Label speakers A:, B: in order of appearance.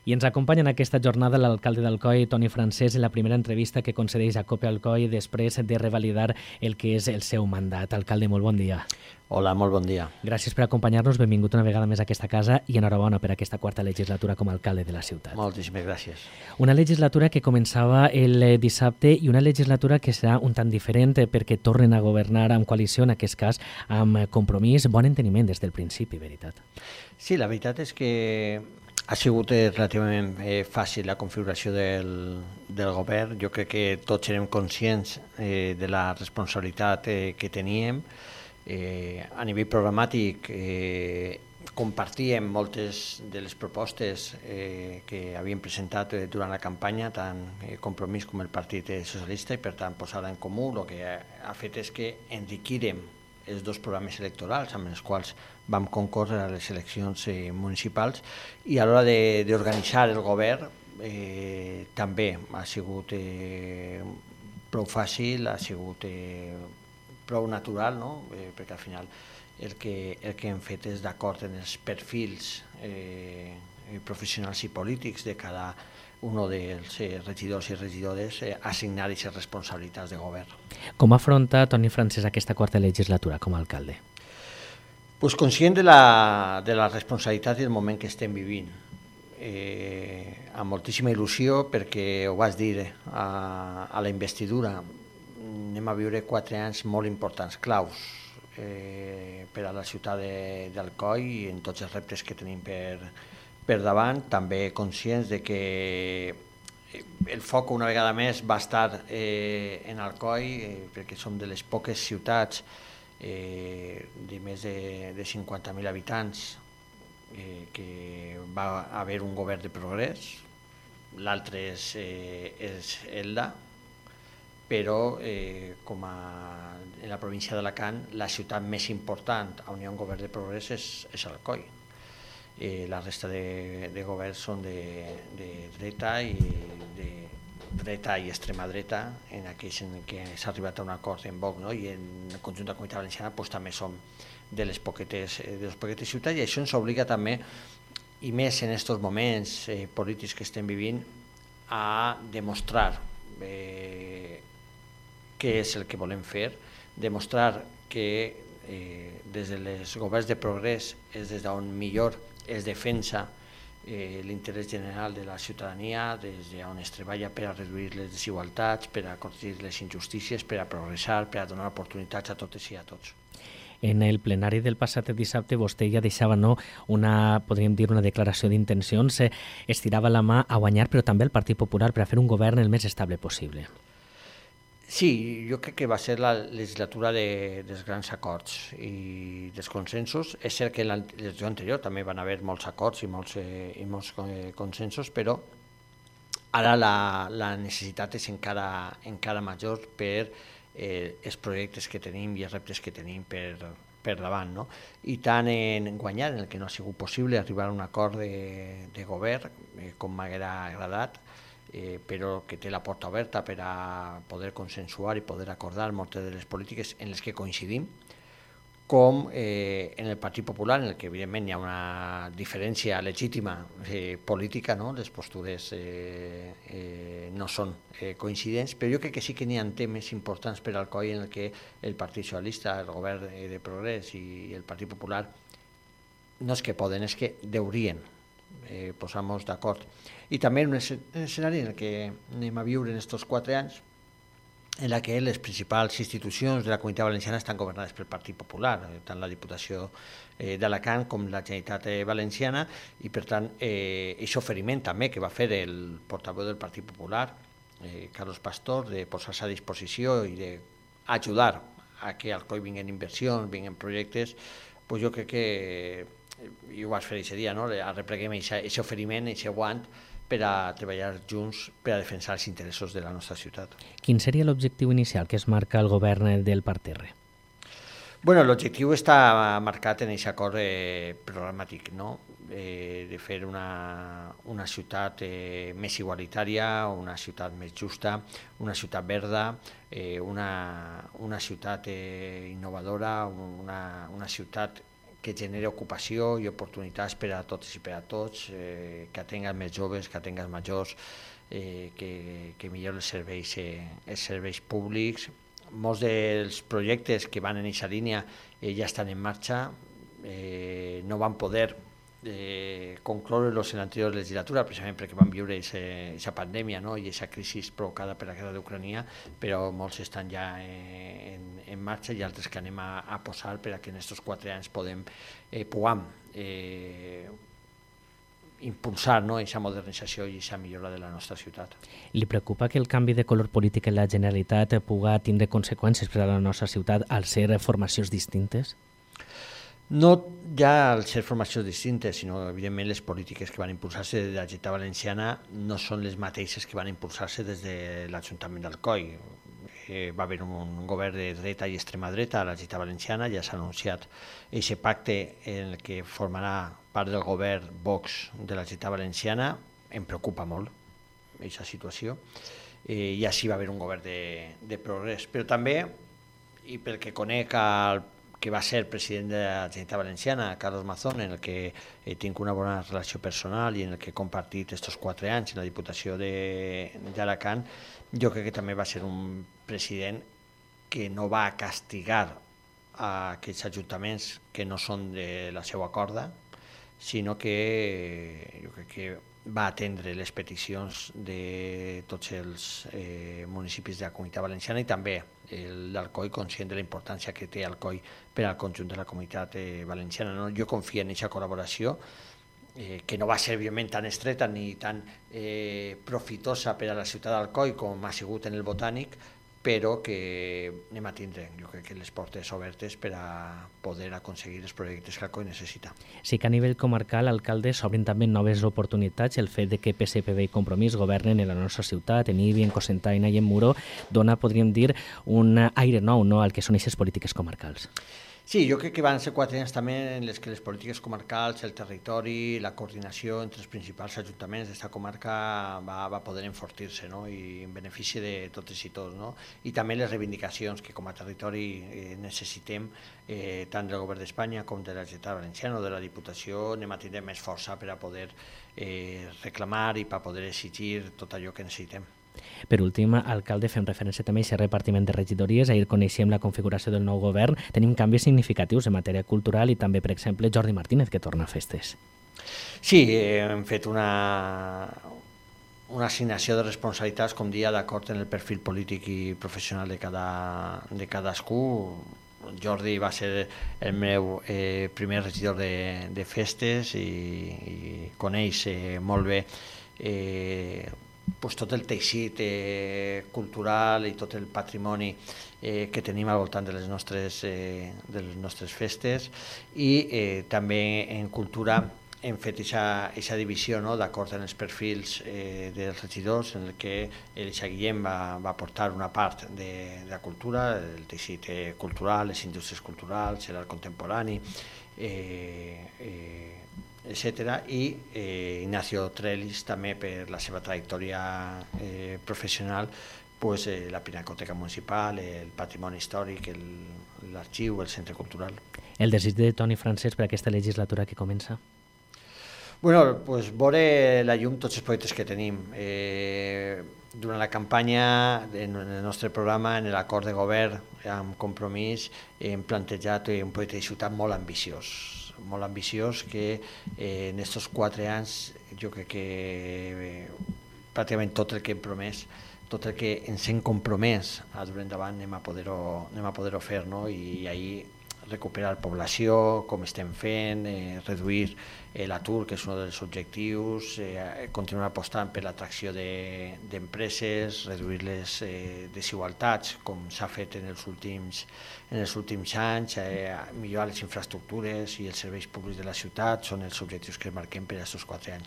A: I ens acompanya en aquesta jornada l'alcalde d'Alcoi, Toni Francés, en la primera entrevista que concedeix a COPE Alcoi després de revalidar el que és el seu mandat. Alcalde, molt bon dia.
B: Hola, molt bon dia.
A: Gràcies per acompanyar-nos, benvingut una vegada més a aquesta casa i enhorabona per aquesta quarta legislatura com a alcalde de la ciutat.
B: Moltíssimes gràcies.
A: Una legislatura que començava el dissabte i una legislatura que serà un tant diferent perquè tornen a governar amb coalició, en aquest cas amb Compromís, bon enteniment des del principi, veritat?
B: Sí, la veritat és que ha sigut relativament fàcil la configuració del govern. Jo crec que tots érem conscients de la responsabilitat que teníem. A nivell programàtic compartíem moltes de les propostes que havíem presentat durant la campanya, tant Compromís com el Partit Socialista, i per tant posar en comú el que ha fet és que enriquirem els dos programes electorals amb els quals vam concórrer a les eleccions municipals, i a l'hora d'organitzar el govern també ha sigut prou fàcil, ha sigut prou natural, no? Perquè al final el que hem fet és d'acord en els perfils professionals i polítics de cada un dels regidors i regidores, assignar aquestes responsabilitats de govern.
A: Com afronta Toni Francés aquesta quarta legislatura com a alcalde?
B: Pues conscient de la responsabilitat i el moment que estem vivint, amb moltíssima il·lusió, perquè ho vas dir a la investidura, anem a viure 4 anys molt importants, claus, per a la ciutat d'Alcoi i en tots els reptes que tenim per davant, també conscients de que el foc una vegada més va estar en Alcoi, perquè som de les poques ciutats de més de 50.000 habitants que va haver un govern de progrés. L'altre és Elda, però com en la província d'Alacant la ciutat més important on hi ha un govern de progrés és Alcoi. La resta de governs són de dreta i extrema dreta, en aquells en què s'ha arribat a un acord en Vox, no? I en el conjunt de la Comunitat Valenciana també som de les poquetes ciutats, i això ens obliga també, i més en aquests moments polítics que estem vivint, a demostrar què és el que volem fer, demostrar que des dels governs de progrés és des d'on millor es defensa l'interès general de la ciutadania, des d'on es treballa per a reduir les desigualtats, per a corregir les injustícies, per a progressar, per a donar oportunitats a totes i a tots.
A: En el plenari del passat dissabte vostè ja deixava podríem dir, una declaració d'intencions, estirava la mà a guanyar, però també el Partit Popular, per a fer un govern el més estable possible.
B: Sí, jo crec que va ser la legislatura dels grans acords i dels consensos. És cert que en la legislatura anterior també van haver molts acords i molts consensos, però ara la necessitat és encara major per els projectes que tenim i els reptes que tenim per davant, no? I tant en guanyar, en el que no ha sigut possible arribar a un acord de govern, com m'haguera agradat, però que té la porta oberta per a poder consensuar i poder acordar moltes de les polítiques en les que coincidim, com en el Partit Popular, en el que evidentment hi ha una diferència legítima política, no? Les postures no són coincidents, però jo crec que sí que n'hi ha temes importants per al Alcoi en el que el Partit Socialista, el Govern de Progrés i el Partit Popular no és que poden, és que deurien posar-nos d'acord. I també en un escenari en què anem a viure en aquests 4 anys, en la que les principals institucions de la Comunitat Valenciana estan governades pel Partit Popular, tant la Diputació d'Alacant com la Generalitat Valenciana, i per tant aquest oferiment també que va fer el portaveu del Partit Popular, Carlos Pastor, de posar-se a disposició i d'ajudar a que Alcoi vinguin inversions, vinguin projectes, jo crec que i ho vaig fer aquest dia, no? Arrepleguem aquest oferiment, aquest guant, per a treballar junts per a defensar els interessos de la nostra ciutat.
A: Quin seria l'objectiu inicial que es marca el govern del Parterre?
B: Bueno, l'objectiu està marcat en aquest acord programàtic, no? De fer una ciutat més igualitària, una ciutat més justa, una ciutat verda, una ciutat innovadora, una ciutat que generi ocupació i oportunitats per a totes i per a tots, que atenguen més joves, que atenguen majors, que millori els serveis públics. Molts dels projectes que van en aquesta línia ja estan en marxa, no van poder concloure-los en l'anterior legislatura, precisament perquè van viure aquesta pandèmia, no? I aquesta crisi provocada per la guerra d'Ucrània, però molts estan ja en marxa i altres que anem a posar per a que en aquests 4 anys puguem impulsar aquesta modernització i aquesta millora de la nostra ciutat.
A: Li preocupa que el canvi de color polític en la Generalitat pugui tindre conseqüències per a la nostra ciutat al ser formacions distintes?
B: No ja al ser formacions distintes, sinó evidentment les polítiques que van impulsar-se des de la Generalitat Valenciana no són les mateixes que van impulsar-se des de l'Ajuntament d'Alcoi. Va haver un govern de dreta i extrema dreta a la Generalitat Valenciana, ja s'ha anunciat aquest pacte en el que formarà part del govern Vox de la Generalitat Valenciana. Em preocupa molt aquesta situació. Ja sí va haver un govern de progrés, però també, i pel que conec que va ser president de la Generalitat Valenciana, Carlos Mazón, en el que tinc una bona relació personal i en el que he compartit aquests 4 anys en la Diputació d'Alacant, jo crec que també va ser un president que no va castigar a aquells ajuntaments que no són de la seva corda, sinó que jo crec que va atendre les peticions de tots els municipis de la Comunitat Valenciana i també l'Alcoi, conscient de la importància que té Alcoi per al conjunt de la Comunitat Valenciana. Jo confio en aquesta col·laboració, que no va ser, evidentment, tan estreta ni tan profitosa per a la ciutat d'Alcoi com ha sigut en el Botànic, però que anem a tindre, jo crec que les portes obertes per a poder aconseguir els projectes que Alcoi necessita.
A: Sí que a nivell comarcal, alcaldes, s'obren també noves oportunitats. El fet de que PSPB i Compromís governen en la nostra ciutat, en Ibi, en Cocentaina i en Muro, dona, podríem dir, un aire nou al que són aquestes polítiques comarcals.
B: Sí, jo crec que van ser 4 anys també en les que les polítiques comarcals, el territori, la coordinació entre els principals ajuntaments d'aquesta comarca va poder enfortir-se, no? I en benefici de totes i tots. No? I també les reivindicacions que com a territori necessitem, tant del govern d'Espanya com de la Generalitat Valenciana o de la Diputació, anem a tindre més força per a poder reclamar i per a poder exigir tot allò que necessitem.
A: Per últim, alcalde, fem referència també a aquest repartiment de regidories. Ahir coneixem la configuració del nou govern. Tenim canvis significatius en matèria cultural i també, per exemple, Jordi Martínez, que torna a festes.
B: Sí, hem fet una assignació de responsabilitats, com dia, d'acord en el perfil polític i professional de cadascú. Jordi va ser el meu primer regidor de festes i coneix molt bé tot el teixit cultural i tot el patrimoni que tenim al voltant de les nostres festes i també en cultura hem fet aquesta divisió d'acord amb els perfils dels regidors en què l'Eixa Guillem va portar una part de la cultura, el teixit cultural, les indústries culturals, l'art contemporani, etc. I Ignacio Trellis també per la seva trajectòria professional, la Pinacoteca Municipal, el patrimoni històric, l'arxiu, el centre cultural.
A: El desig de Toni Francesc per aquesta legislatura que comença?
B: Veure la llum tots els projectes que tenim. Durant la campanya, en el nostre programa, en l'acord de govern amb Compromís, hem plantejat un projecte de ciutat molt ambiciós que en aquests 4 anys jo crec que pràcticament tot el que hem promès, tot el que ens hem compromès a dur endavant anem a poder-ho fer, no? I ahir recuperar població, com estem fent, reduir l'atur, que és un dels objectius, continuar apostant per l'atracció d'empreses, reduir les desigualtats, com s'ha fet en els últims anys, millorar les infraestructures i els serveis públics de la ciutat, són els objectius que marquem per a aquests 4 anys.